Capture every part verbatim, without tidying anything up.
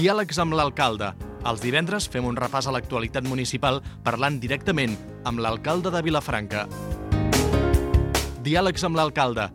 Diàlegs amb l'alcalde. Els divendres fem un repàs a l'actualitat municipal parlant directament amb l'alcalde de Vilafranca. Diàlegs amb l'alcalde.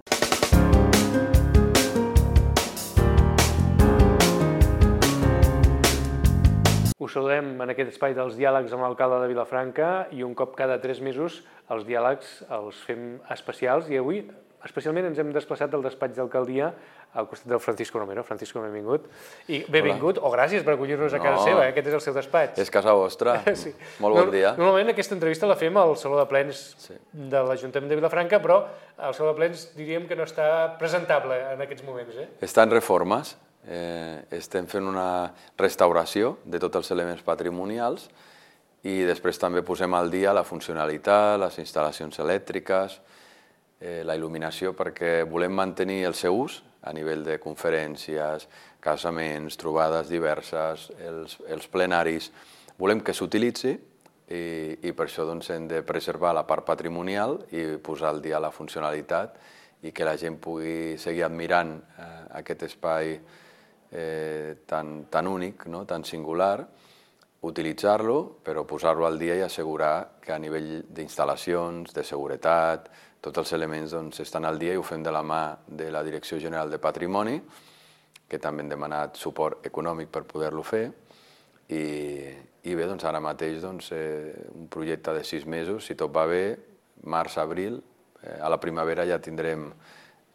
Us saludem en aquest espai dels diàlegs amb l'alcalde de Vilafranca i un cop cada tres mesos els diàlegs els fem especials i avui especialment ens hem desplaçat del despatx d'alcaldia al costat del Francisco Romero. Francisco, benvingut. I benvingut, o gràcies per acollir-nos a casa seva, aquest és el seu despatx. És casa vostra. Molt bon dia. Normalment aquesta entrevista la fem al Saló de Plens de l'Ajuntament de Vilafranca, però el Saló de Plens diríem que no està presentable en aquests moments. Està en reformes. Estem fent una restauració de tots els elements patrimonials i després també posem al dia la funcionalitat, les instal·lacions elèctriques, la il·luminació, perquè volem mantenir el seu ús a nivell de conferències, casaments, trobades diverses, els, els plenaris. Volem que s'utilitzi i, i per això doncs, hem de preservar la part patrimonial i posar al dia la funcionalitat i que la gent pugui seguir admirant eh, aquest espai eh, tan, tan únic, no? Tan singular, utilitzar-lo, però posar-lo al dia i assegurar que a nivell d'instal·lacions, de seguretat, tots els elements doncs, estan al dia i ho fem de la mà de la Direcció General de Patrimoni, que també hem demanat suport econòmic per poder-lo fer. I, i bé, doncs, ara mateix doncs, eh, un projecte de sis mesos, si tot va bé, març, abril, eh, a la primavera ja tindrem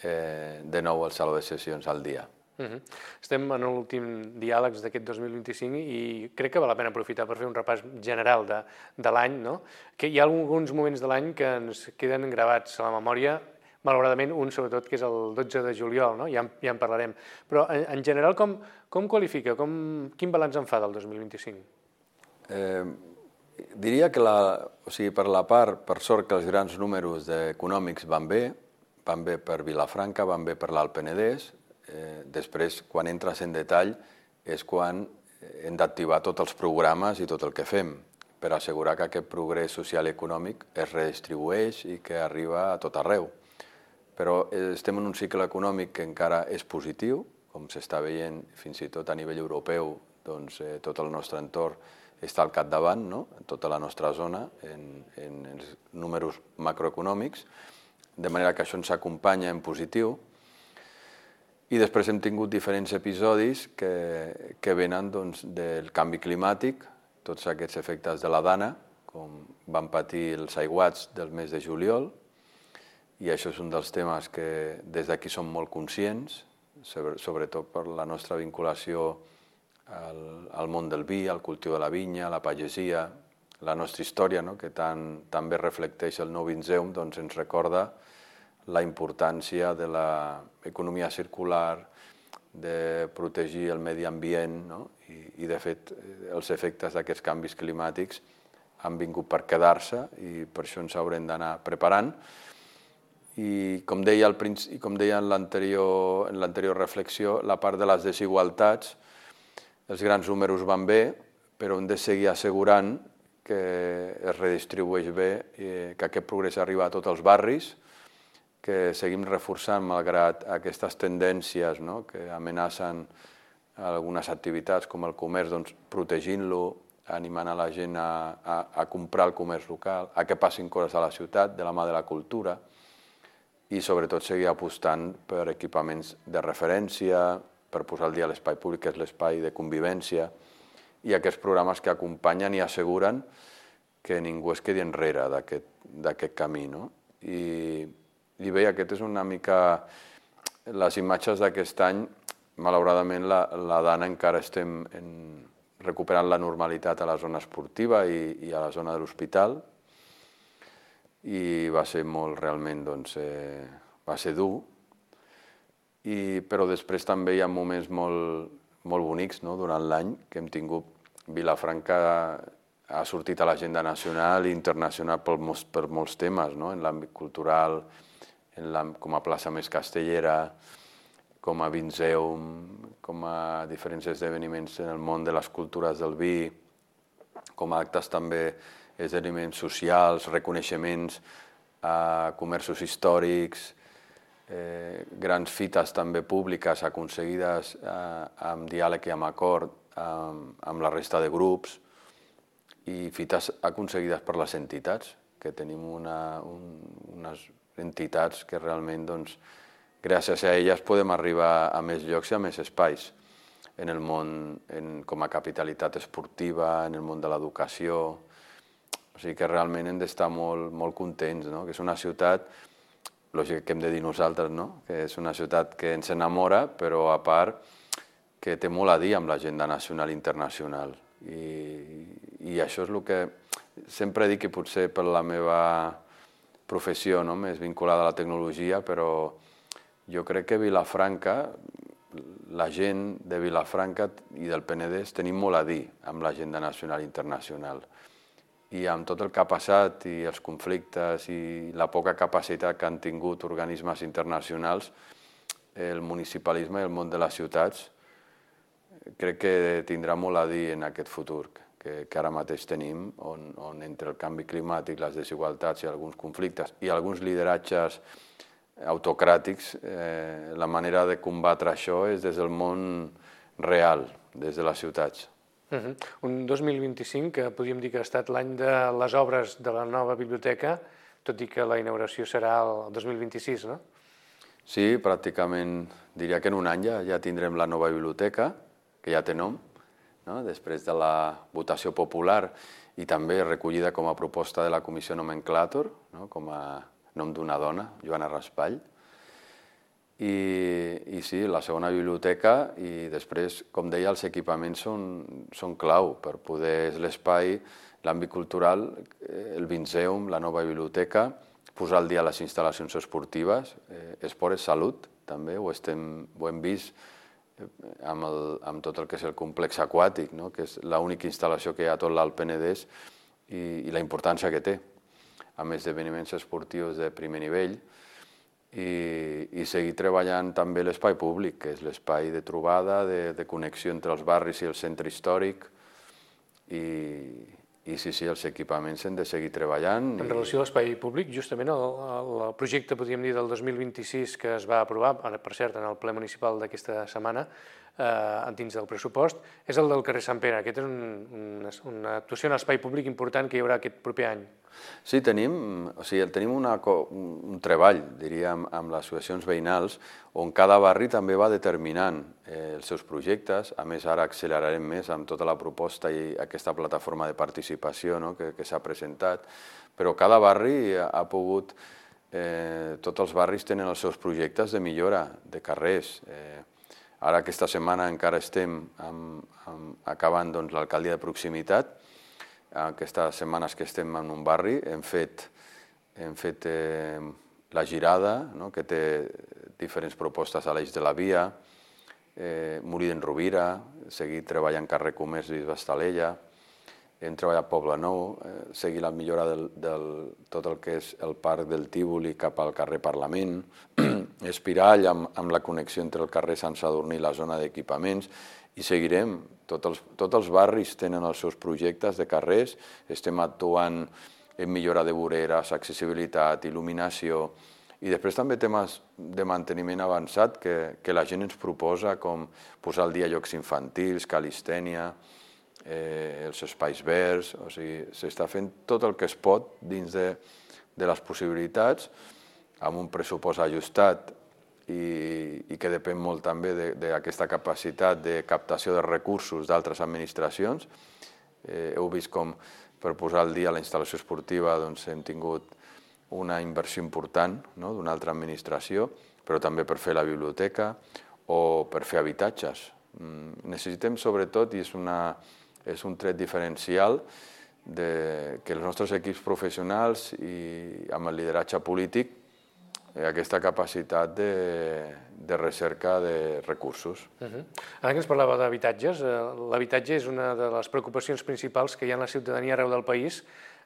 eh, de nou el Saló de Sessions al dia. Uh-huh. Estem en l'últim diàlegs d'aquest dos mil vint-i-cinc i crec que val la pena aprofitar per fer un repàs general de, de l'any, no? Que hi ha alguns moments de l'any que ens queden gravats a la memòria, malauradament un sobretot que és el dotze de juliol, no? Ja, ja en parlarem. Però en, en general com, com qualifica, com, quin balanç en fa del dos mil vint-i-cinc? Eh, diria que la, o sigui, per la part, per sort que els grans números econòmics van bé, van bé per Vilafranca, van bé per l'Alt Penedès. Eh, després, quan entres en detall, és quan hem d'activar tots els programes i tot el que fem per assegurar que aquest progrés social i econòmic es redistribueix i que arriba a tot arreu. Però estem en un cicle econòmic que encara és positiu, com s'està veient fins i tot a nivell europeu, doncs eh, tot el nostre entorn està al capdavant, no? Tota la nostra zona, en, en els números macroeconòmics, de manera que això ens acompanya en positiu. I després hem tingut diferents episodis que, que venen doncs, del canvi climàtic, tots aquests efectes de la Dana, com van patir els aiguats del mes de juliol, i això és un dels temes que des d'aquí som molt conscients, sobretot per la nostra vinculació al, al món del vi, al cultiu de la vinya, la pagesia, la nostra història, no? Que tan, també reflecteix el Nou Vinzeum, doncs ens recorda la importància de l'economia circular, de protegir el medi ambient, no? I, i de fet els efectes d'aquests canvis climàtics han vingut per quedar-se i per això ens haurem d'anar preparant. I com deia, al principi, com deia en l'anterior en l'anterior reflexió, la part de les desigualtats, els grans números van bé, però hem de seguir assegurant que es redistribueix bé, i que aquest progrés arriba a tots els barris, que seguim reforçant malgrat aquestes tendències, no? Que amenacen algunes activitats com el comerç, doncs, protegint-lo, animant a la gent a, a, a comprar el comerç local, a que passin coses a la ciutat de la mà de la cultura i sobretot seguir apostant per equipaments de referència, per posar al dia l'espai públic, que és l'espai de convivència, i aquests programes que acompanyen i asseguren que ningú es quedi enrere d'aquest camí, no? I I bé, aquest és una mica les imatges d'aquest any. Malauradament, la, la Dana encara estem en, recuperant la normalitat a la zona esportiva i, i a la zona de l'hospital. I va ser molt, realment, doncs, eh, va ser dur. I, però després també hi ha moments molt, molt bonics, no?, durant l'any que hem tingut. Vilafranca ha sortit a l'agenda nacional i internacional per molts, per molts temes, no?, en l'àmbit cultural, en la, com a plaça més castellera, com a Vinzeum, com a diferents esdeveniments en el món de les cultures del vi, com a actes també esdeveniments socials, reconeixements a comerços històrics, eh, grans fites també públiques aconseguides eh, amb diàleg i amb acord amb, amb la resta de grups i fites aconseguides per les entitats, que tenim una, un, unes entitats que realment, doncs, gràcies a elles podem arribar a més llocs i a més espais en el món, en, com a capitalitat esportiva, en el món de l'educació. O sigui que realment hem d'estar molt, molt contents, no? Que és una ciutat, lògic que hem de dir nosaltres, no? Que és una ciutat que ens enamora, però a part que té molt a dir amb l'agenda nacional i internacional. I, i això és el que sempre dic, que potser per la meva professió, no? Més vinculada a la tecnologia, però jo crec que Vilafranca, la gent de Vilafranca i del Penedès tenim molt a dir amb l'agenda nacional i internacional. I amb tot el que ha passat i els conflictes i la poca capacitat que han tingut organismes internacionals, el municipalisme i el món de les ciutats crec que tindrà molt a dir en aquest futur que, que ara mateix tenim, on, on entre el canvi climàtic, les desigualtats i alguns conflictes i alguns lideratges autocràtics, eh, la manera de combatre això és des del món real, des de les ciutats. Uh-huh. Un dos mil vint-i-cinc que podríem dir que ha estat l'any de les obres de la nova biblioteca, tot i que la inauguració serà el dos mil vint-i-sis, no? Sí, pràcticament diria que en un any ja, ja tindrem la nova biblioteca, que ja té nom, no? Després de la votació popular i també recollida com a proposta de la Comissió Nomenclàtor, no? Com a nom d'una dona, Joana Raspall. I, i sí, la segona biblioteca i després, com deia, els equipaments són, són clau per poder, és l'espai, l'àmbit cultural, el Vinceum, la nova biblioteca, posar al dia les instal·lacions esportives, eh, esport és salut, també, ho, estem, ho hem vist amb, el, amb tot el que és el complex aquàtic, no? Que és l'única instal·lació que hi ha a tot l'Alt Penedès i, i la importància que té, amb esdeveniments esportius de primer nivell, i, i seguir treballant també l'espai públic, que és l'espai de trobada, de, de connexió entre els barris i el centre històric, i, i sí, sí, els equipaments hem de seguir treballant. En relació a l'espai públic, justament el, el projecte, podríem dir, del dos mil vint-i-sis que es va aprovar, per cert, en el ple municipal d'aquesta setmana, eh, dins del pressupost, és el del carrer Sant Pere. Aquest és un, una, una actuació en l'espai públic important que hi haurà aquest proper any. Sí, tenim, o sigui, tenim una, un treball, diríem, amb les associacions veïnals, on cada barri també va determinant eh, els seus projectes. A més, ara accelerarem més amb tota la proposta i aquesta plataforma de participació, no? que, que s'ha presentat. Però cada barri ha, ha pogut, eh, tots els barris tenen els seus projectes de millora de carrers. Eh, ara aquesta setmana encara estem amb, amb, acabant doncs, l'alcaldia de proximitat. Aquestes setmanes que estem en un barri hem fet, hem fet eh, la Girada, no? Que té diferents propostes a l'eix de la via, eh, Molí d'en Rovira, seguir treballant carrer Comerç i Bastalella, hem treballat Poble Nou, eh, seguir la millora del, del tot el que és el parc del Tívoli cap al carrer Parlament, Espirall amb, amb la connexió entre el carrer Sant Sadurní i la zona d'equipaments, i seguirem. Tots els, tots els barris tenen els seus projectes de carrers, estem actuant en millora de voreres, accessibilitat, il·luminació, i després també temes de manteniment avançat que, que la gent ens proposa, com posar al dia llocs infantils, calistènia, eh, els espais verds, o sigui, s'està fent tot el que es pot dins de, de les possibilitats, amb un pressupost ajustat, I, i que depèn molt també d'aquesta capacitat de captació de recursos d'altres administracions. Eh, heu vist com per posar al dia la instal·lació esportiva doncs, hem tingut una inversió important, no? D'una altra administració, però també per fer la biblioteca o per fer habitatges. Mm, necessitem sobretot, i és, una, és un tret diferencial, de, que els nostres equips professionals i amb el lideratge polític aquesta capacitat de, de recerca de recursos. Uh-huh. Ara que ens parlava d'habitatges, eh, l'habitatge és una de les preocupacions principals que hi ha en la ciutadania arreu del país,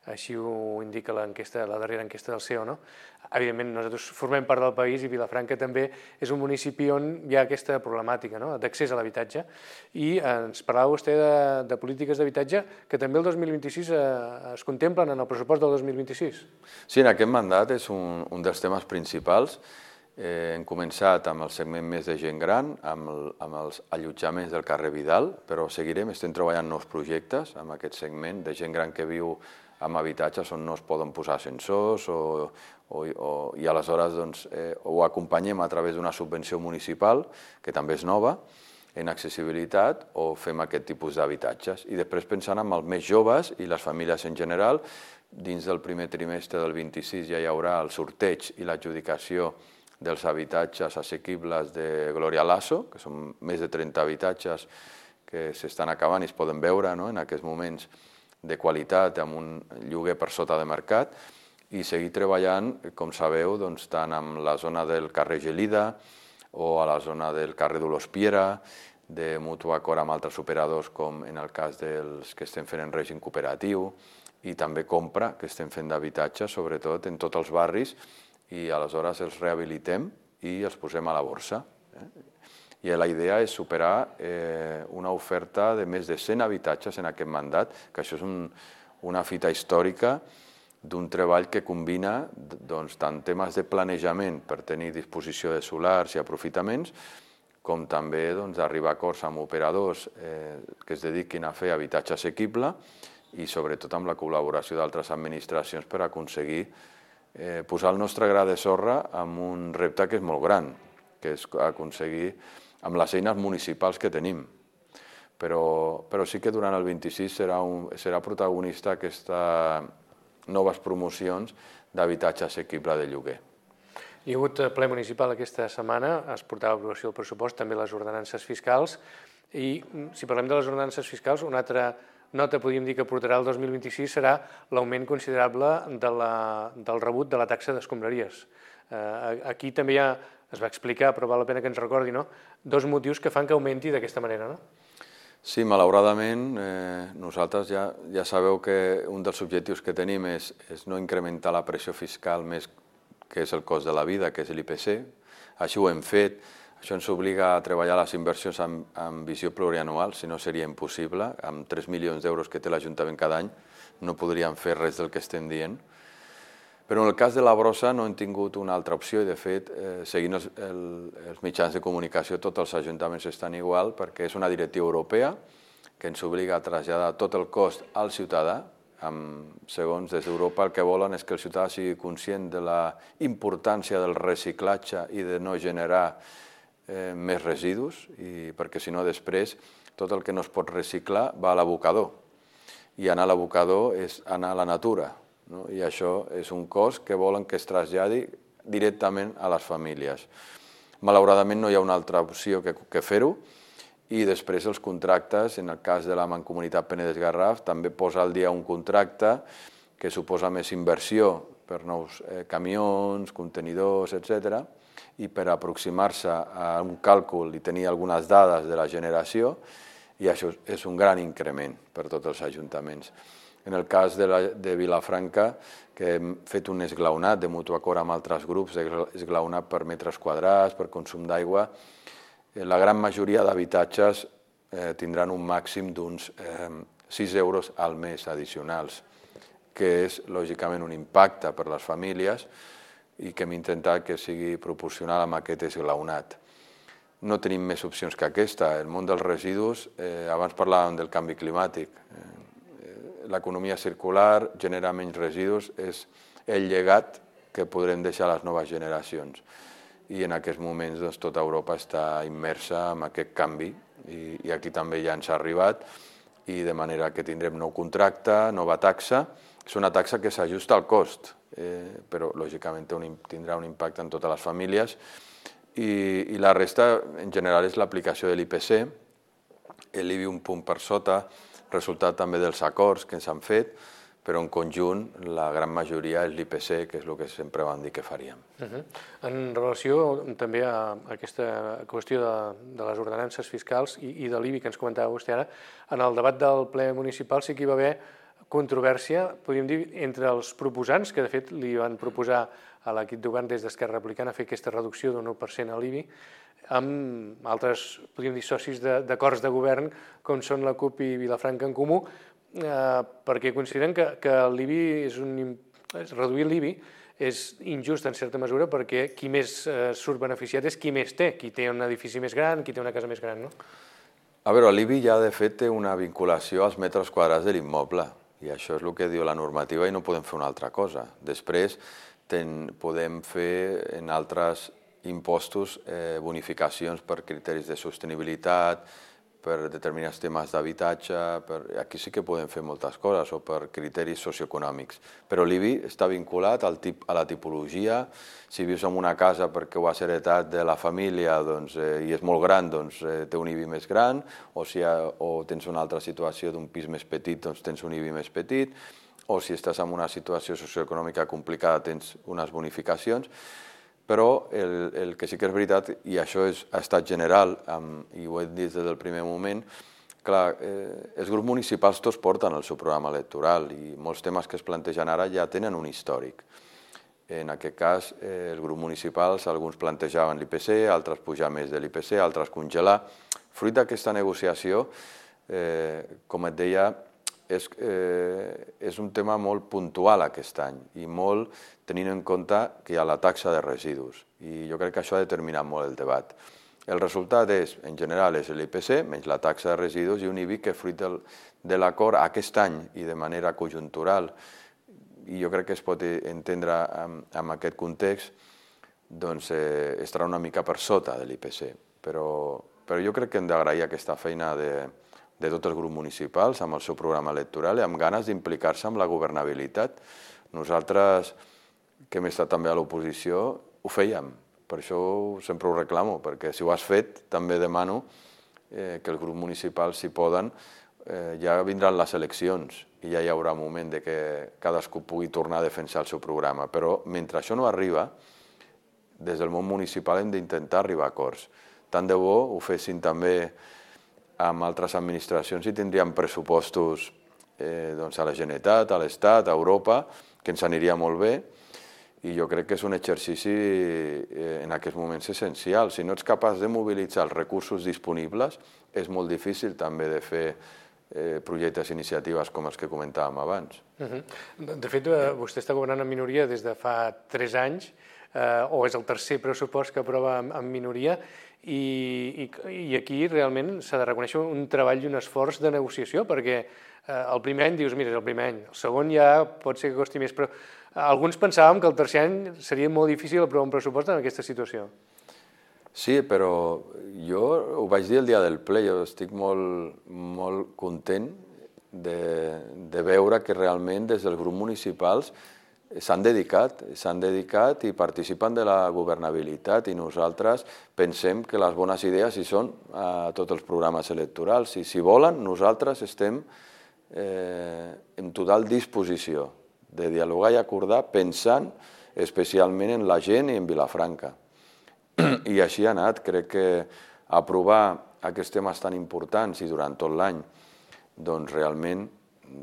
així ho indica l'enquesta, la darrera enquesta del C E O, no? Evidentment, nosaltres formem part del país i Vilafranca també és un municipi on hi ha aquesta problemàtica, no? D'accés a l'habitatge. I ens parlava vostè de, de polítiques d'habitatge que també el dos mil vint-i-sis eh, es contemplen en el pressupost del dos mil vint-i-sis. Sí, en aquest mandat és un, un dels temes principals Hem començat amb el segment més de gent gran, amb els allotjaments del carrer Vidal, però seguirem, estem treballant nous projectes amb aquest segment de gent gran que viu en habitatges on no es poden posar ascensors i aleshores ho acompanyem a través d'una subvenció municipal, que també és nova, en accessibilitat, o fem aquest tipus d'habitatges. I després pensant en els més joves i les famílies en general, dins del primer trimestre del vint-i-sis ja hi haurà el sorteig i l'adjudicació dels habitatges assequibles de Gloria Lasso, que són més de trenta habitatges que s'estan acabant i es poden veure en aquests moments de qualitat amb un lloguer per sota de mercat, i seguir treballant, com sabeu, tant en la zona del carrer Gelida o a la zona del carrer Dolors Piera, de mutu acord amb altres operadors, com en el cas dels que estem fent en règim cooperatiu, i també compra, que estem fent d'habitatge, sobretot en tots els barris, i aleshores els rehabilitem i els posem a la borsa. I la idea és superar una oferta de més de cent habitatges en aquest mandat, que això és una fita històrica d'un treball que combina tant temes de planejament per tenir disposició de solars i aprofitaments, com també d'arribar a acords amb operadors que es dediquin a fer habitatge assequible i sobretot amb la col·laboració d'altres administracions per aconseguir posar el nostre gra de sorra amb un repte que és molt gran, que és aconseguir amb les eines municipals que tenim. Però sí que durant el vint-i-sis serà protagonista aquestes noves promocions d'habitatge assequible de lloguer. Hi ha hagut ple municipal aquesta setmana, es portava a aprovació del pressupost, també les ordenances fiscals, i si parlem de les ordenances fiscals, una altra nota, podríem dir, que portarà el dos mil vint-i-sis serà l'augment considerable del rebut de la taxa d'escombraries. Aquí també ja es va explicar, però val la pena que ens recordi, dos motius que fan que augmenti d'aquesta manera, no? Sí, malauradament, nosaltres ja sabeu que un dels objectius que tenim és no incrementar la pressió fiscal més que és el cost de la vida, que és l'I P C. Així ho hem fet. Això ens obliga a treballar les inversions amb visió plurianual, si no seria impossible. Amb tres milions d'euros que té l'Ajuntament cada any no podríem fer res del que estem dient. Però en el cas de la brossa no hem tingut una altra opció i, de fet, seguint els mitjans de comunicació, tots els ajuntaments estan igual perquè és una directiva europea que ens obliga a traslladar tot el cost al ciutadà. Segons des d'Europa el que volen és que el ciutadà sigui conscient de la importància del reciclatge i de no generar més residus, perquè si no després tot el que no es pot reciclar va a l'abocador, i anar a l'abocador és anar a la natura, i això és un cost que volen que es traslladi directament a les famílies. Malauradament no hi ha una altra opció que fer-ho, i després els contractes, en el cas de la Mancomunitat Penedès-Garraf, també posa al dia un contracte que suposa més inversió per nous camions, contenidors, etcètera, i per aproximar-se a un càlcul i tenir algunes dades de la generació, i això és un gran increment per tots els ajuntaments. En el cas de Vilafranca, que hem fet un esglaonat de mutu acord amb altres grups, esglaonat per metres quadrats, per consum d'aigua, la gran majoria d'habitatges tindran un màxim d'uns sis euros al mes addicionals, que és, lògicament, un impacte per les famílies i que hem intentat que sigui proporcional amb aquest esglaonat. No tenim més opcions que aquesta. El món dels residus, abans parlàvem del canvi climàtic, l'economia circular genera menys residus, és el llegat que podrem deixar a les noves generacions. I en aquests moments tota Europa està immersa en aquest canvi i aquí també ja ens ha arribat, i de manera que tindrem nou contracte, nova taxa. És una taxa que s'ajusta al cost, però lògicament tindrà un impacte en totes les famílies, i la resta en general és l'aplicació de l'I P C, l'I B I un punt per sota, resultat també dels acords que ens han fet, però en conjunt la gran majoria és l'I P C, que és el que sempre vam dir que faríem. En relació també a aquesta qüestió de les ordenances fiscals i de l'I B I que ens comentava vostè ara, en el debat del ple municipal sí que hi va haver controvèrsia, podríem dir, entre els proposants, que de fet li van proposar a l'equip de govern des d'Esquerra Republicana fer aquesta reducció d'un u per cent a l'I B I, amb altres, podríem dir, socis d'acords de govern, com són la CUP i Vilafranca en Comú, perquè consideren que l'I B I és un... reduir l'I B I és injust en certa mesura perquè qui més surt beneficiat és qui més té, qui té un edifici més gran, qui té una casa més gran, no? A veure, l'I B I ja de fet té una vinculació als metres quadrats de l'immoble i això és el que diu la normativa i no podem fer una altra cosa. Després ten, podem fer en altres impostos eh, bonificacions per criteris de sostenibilitat, per determinats temes d'habitatge, per... aquí sí que podem fer moltes coses, o per criteris socioeconòmics. Però l'I B I està vinculat al tip, a la tipologia. Si vius en una casa perquè ho has heretat de la família doncs, eh, i és molt gran, doncs eh, té un I B I més gran, o si ha, o tens una altra situació d'un pis més petit, doncs tens un I B I més petit, o si estàs en una situació socioeconòmica complicada tens unes bonificacions. Però el, el que sí que és veritat, i això és, ha estat general, um, i ho he dit des del primer moment, clar, eh, els grups municipals tots porten el seu programa electoral i molts temes que es plantegen ara ja tenen un històric. En aquest cas, eh, els grups municipals, alguns plantejaven l'I P C, altres pujar més de l'I P C, altres congelar. Fruit d'aquesta negociació, eh, com et deia, És, eh, és un tema molt puntual aquest any i molt tenint en compte que hi ha la taxa de residus i jo crec que això ha determinat molt el debat. El resultat és, en general, és l'I P C menys la taxa de residus i un I B I que fruit del, de l'acord aquest any i de manera conjuntural i jo crec que es pot entendre en, en aquest context doncs eh, estarà una mica per sota de l'I P C, però, però jo crec que hem d'agrair aquesta feina de de tots els grups municipals, amb el seu programa electoral i amb ganes d'implicar-se amb la governabilitat. Nosaltres, que hem estat també a l'oposició, ho fèiem. Per això sempre ho reclamo, perquè si ho has fet, també demano eh, que els grups municipals, si poden, eh, ja vindran les eleccions i ja hi haurà un moment de que cadascú pugui tornar a defensar el seu programa. Però mentre això no arriba, des del món municipal hem d'intentar arribar a acords. Tant de bo ho fessin també amb altres administracions i tindríem pressupostos eh, doncs a la Generalitat, a l'Estat, a Europa, que ens aniria molt bé i jo crec que és un exercici eh, en aquests moments essencial. Si no ets capaç de mobilitzar els recursos disponibles, és molt difícil també de fer eh, projectes i iniciatives com els que comentàvem abans. Uh-huh. De fet, vostè està governant en minoria des de fa tres anys, eh, o és el tercer pressupost que aprova en, en minoria, I, i, i aquí realment s'ha de reconèixer un treball i un esforç de negociació, perquè eh, el primer any dius, mira, és el primer any, el segon ja pot ser que costi més, però alguns pensàvem que el tercer any seria molt difícil aprovar un pressupost en aquesta situació. Sí, però jo ho vaig dir el dia del ple, jo estic molt, molt content de, de veure que realment des dels grups municipals s'han dedicat, s'han dedicat i participen de la governabilitat i nosaltres pensem que les bones idees hi són a tots els programes electorals i si volen nosaltres estem eh, en total disposició de dialogar i acordar pensant especialment en la gent i en Vilafranca. I així ha anat, crec que aprovar aquests temes tan importants i durant tot l'any doncs realment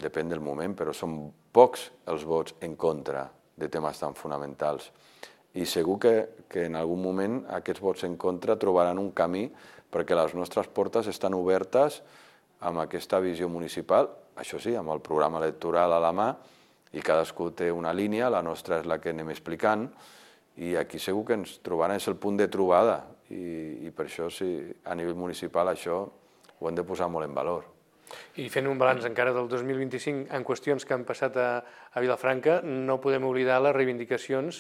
depèn del moment, però són pocs els vots en contra de temes tan fonamentals. I segur que, que en algun moment aquests vots en contra trobaran un camí perquè les nostres portes estan obertes amb aquesta visió municipal, això sí, amb el programa electoral a la mà, i cadascú té una línia, la nostra és la que anem explicant, i aquí segur que ens trobaran, és el punt de trobada, i, i per això sí, a nivell municipal això ho hem de posar molt en valor. I fent un balanç encara del dos mil vint-i-cinc en qüestions que han passat a, a Vilafranca, no podem oblidar les reivindicacions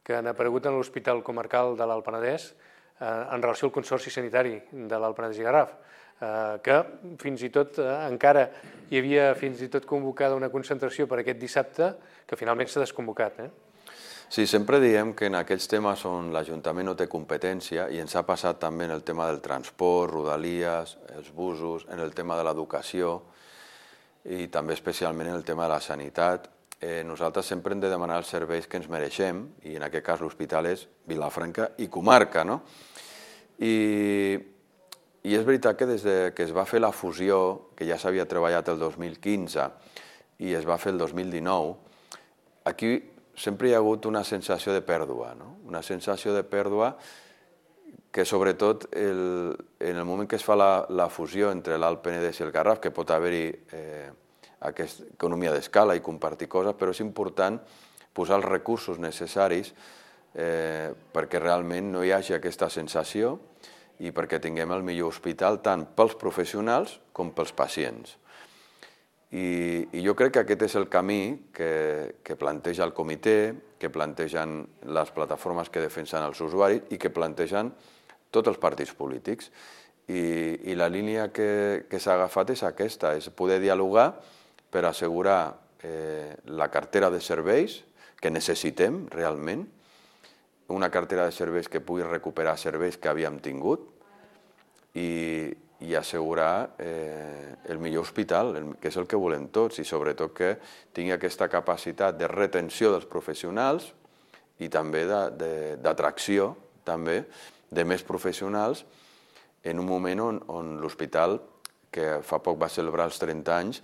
que han aparegut en l'Hospital Comarcal de l'Alt Penedès eh, en relació al Consorci Sanitari de l'Alt Penedès i Garraf, eh, que fins i tot eh, encara hi havia fins i tot convocada una concentració per aquest dissabte que finalment s'ha desconvocat. Eh? Sí, sempre diem que en aquests temes on l'Ajuntament no té competència, i ens ha passat també en el tema del transport, rodalies, els busos, en el tema de l'educació i també especialment en el tema de la sanitat, eh, nosaltres sempre hem de demanar els serveis que ens mereixem, i en aquest cas l'hospital és Vilafranca i comarca, no? I, i és veritat que des de que es va fer la fusió, que ja s'havia treballat el dos mil quinze i es va fer el dos mil dinou, aquí sempre hi ha hagut una sensació de pèrdua, no? Una sensació de pèrdua que sobretot el, en el moment que es fa la, la fusió entre l'Alt Penedès i el Garraf, que pot haver-hi eh, aquesta economia d'escala i compartir coses, però és important posar els recursos necessaris eh, perquè realment no hi hagi aquesta sensació i perquè tinguem el millor hospital tant pels professionals com pels pacients. I, i jo crec que aquest és el camí que, que planteja el comitè, que plantegen les plataformes que defensen els usuaris i que plantegen tots els partits polítics. I, i la línia que, que s'ha agafat és aquesta, és poder dialogar per assegurar eh, la cartera de serveis que necessitem realment, una cartera de serveis que pugui recuperar serveis que havíem tingut i, i assegurar eh, el millor hospital, el, que és el que volem tots, i sobretot que tingui aquesta capacitat de retenció dels professionals i també d'atracció també de més professionals en un moment on, on l'hospital, que fa poc va celebrar els trenta anys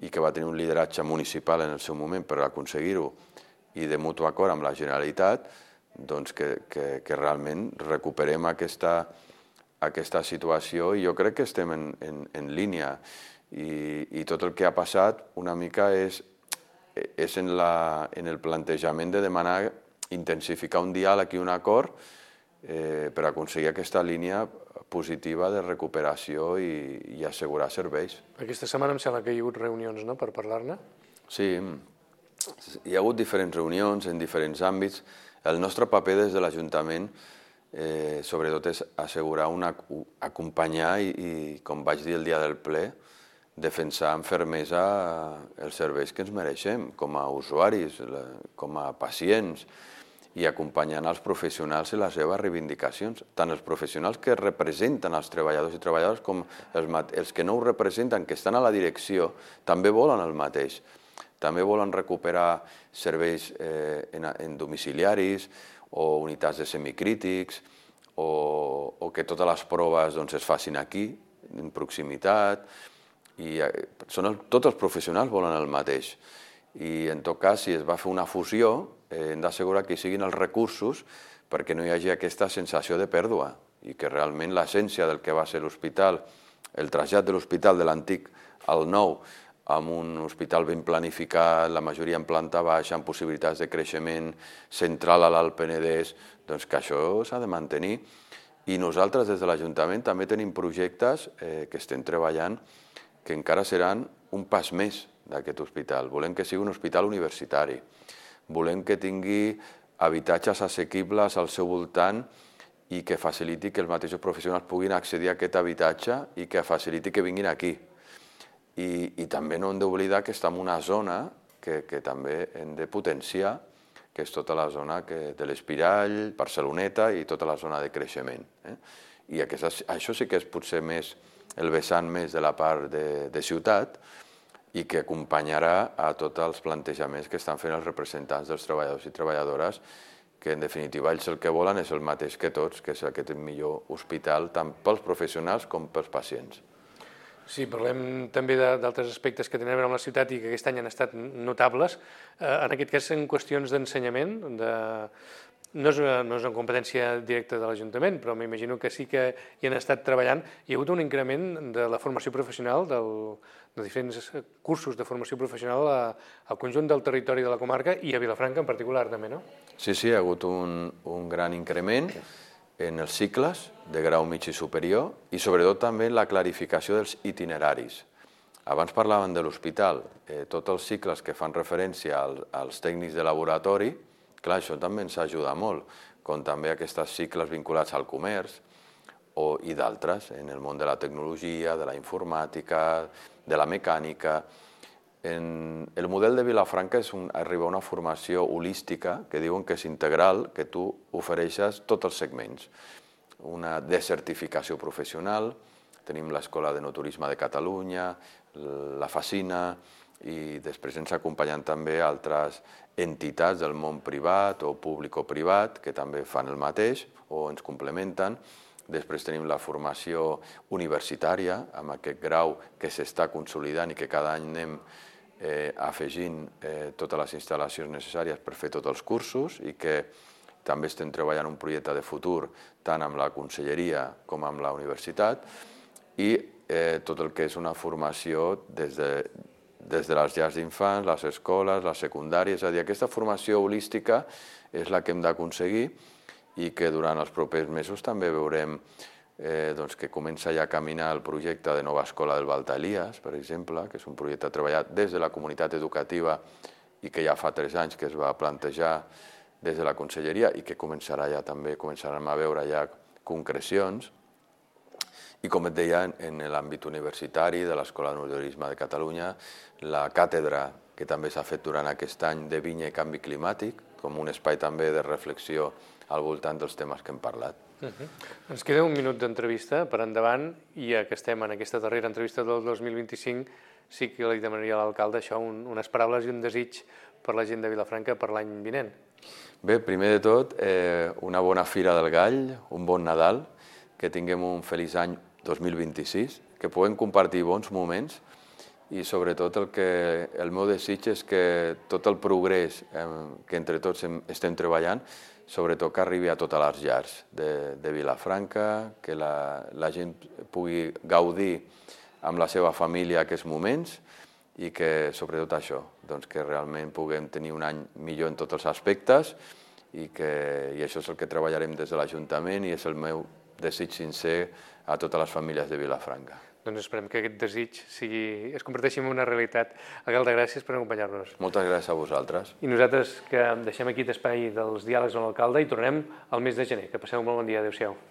i que va tenir un lideratge municipal en el seu moment per aconseguir-ho i de mutu acord amb la Generalitat, doncs que, que, que realment recuperem aquesta aquesta situació i jo crec que estem en, en, en línia I, i tot el que ha passat una mica és, és en, la, en el plantejament de demanar intensificar un diàleg i un acord eh, per aconseguir aquesta línia positiva de recuperació i, i assegurar serveis. Aquesta setmana em sembla que hi ha hagut reunions, no?, per parlar-ne. Sí, hi ha hagut diferents reunions en diferents àmbits. El nostre paper des de l'Ajuntament Eh, sobretot és assegurar, una, acompanyar i, i, com vaig dir el dia del ple, defensar amb fermesa els serveis que ens mereixem com a usuaris, com a pacients, i acompanyant els professionals en les seves reivindicacions, tant els professionals que representen els treballadors i treballadores com els, els que no ho representen, que estan a la direcció, també volen el mateix. També volen recuperar serveis eh, en, en domiciliaris, o unitats de semicrítics, o, o que totes les proves doncs, es facin aquí, en proximitat. I, eh, són el, tots els professionals volen el mateix. I en tot cas, si es va fer una fusió, eh, hem d'assegurar que hi siguin els recursos perquè no hi hagi aquesta sensació de pèrdua i que realment l'essència del que va ser l'hospital, el trasllat de l'hospital de l'antic al nou, amb un hospital ben planificat, la majoria en planta baixa, amb possibilitats de creixement central a l'Alt Penedès, doncs que això s'ha de mantenir. I nosaltres des de l'Ajuntament també tenim projectes eh, que estem treballant que encara seran un pas més d'aquest hospital. Volem que sigui un hospital universitari, volem que tingui habitatges assequibles al seu voltant i que faciliti que els mateixos professionals puguin accedir a aquest habitatge i que faciliti que vinguin aquí. I, i també no hem d'oblidar que estem en una zona que, que també hem de potenciar, que és tota la zona que, de l'Espirall, Barceloneta i tota la zona de creixement. Eh? I aquesta, això sí que és potser més el vessant més de la part de, de ciutat i que acompanyarà a tots els plantejaments que estan fent els representants dels treballadors i treballadores, que en definitiva ells el que volen és el mateix que tots, que és aquest millor hospital tant pels professionals com pels pacients. Sí, parlem també d'altres aspectes que tenen a veure amb la ciutat i que aquest any han estat notables. En aquest cas, en qüestions d'ensenyament, de... no és una, no és una competència directa de l'Ajuntament, però m'imagino que sí que hi han estat treballant. Hi ha hagut un increment de la formació professional, del, de diferents cursos de formació professional a, al conjunt del territori de la comarca i a Vilafranca en particular també, no? Sí, sí, ha hagut un, un gran increment en els cicles de grau mig i superior i sobretot també la clarificació dels itineraris. Abans parlàvem de l'hospital, eh, tots els cicles que fan referència al, als tècnics de laboratori, clar, això també ens ajuda molt, com també aquests cicles vinculats al comerç o, i d'altres, en el món de la tecnologia, de la informàtica, de la mecànica. En el model de Vilafranca és un, arriba a una formació holística que diuen que és integral, que tu ofereixes tots els segments. Una desertificació professional, tenim l'Escola de Noturisme de Catalunya, la Facina, i després ens acompanyen també altres entitats del món privat o públic o privat que també fan el mateix o ens complementen. Després tenim la formació universitària, amb aquest grau que s'està consolidant i que cada any anem eh, afegint eh, totes les instal·lacions necessàries per fer tots els cursos i que també estem treballant un projecte de futur tant amb la conselleria com amb la universitat i eh, tot el que és una formació des de, des de les llars d'infants, les escoles, les secundàries, és a dir, aquesta formació holística és la que hem d'aconseguir i que durant els propers mesos també veurem eh, doncs que comença ja a caminar el projecte de nova escola del Balta Elias, per exemple, que és un projecte treballat des de la comunitat educativa i que ja fa tres anys que es va plantejar des de la conselleria i que començarà ja també, començarem a veure ja concrecions. I com et deia, en l'àmbit universitari de l'Escola de Turisme de Catalunya, la càtedra que també s'ha fet durant aquest any de vinya i canvi climàtic, com un espai també de reflexió al voltant dels temes que hem parlat. Uh-huh. Ens queda un minut d'entrevista per endavant i ja que estem en aquesta darrera entrevista del dos mil vint-i-cinc sí que li demanaria a l'alcalde això, un, unes paraules i un desig per la gent de Vilafranca per l'any vinent. Bé, primer de tot, eh, una bona Fira del Gall, un bon Nadal, que tinguem un feliç any dos mil vint-i-sis, que puguem compartir bons moments i sobretot el, que, el meu desig és que tot el progrés eh, que entre tots hem, estem treballant, sobretot que arribi a totes les llars de, de Vilafranca, que la, la gent pugui gaudir amb la seva família aquests moments i que sobretot això, doncs que realment puguem tenir un any millor en tots els aspectes i, que, i això és el que treballarem des de l'Ajuntament i és el meu desig sincer a totes les famílies de Vilafranca. Doncs esperem que aquest desig sigui, es converteixi en una realitat. Alcalde, gràcies per acompanyar-nos. Moltes gràcies a vosaltres. I nosaltres que deixem aquí l'espai dels diàlegs amb l'alcalde i tornem al mes de gener. Que passeu un molt bon dia. Adéu-siau.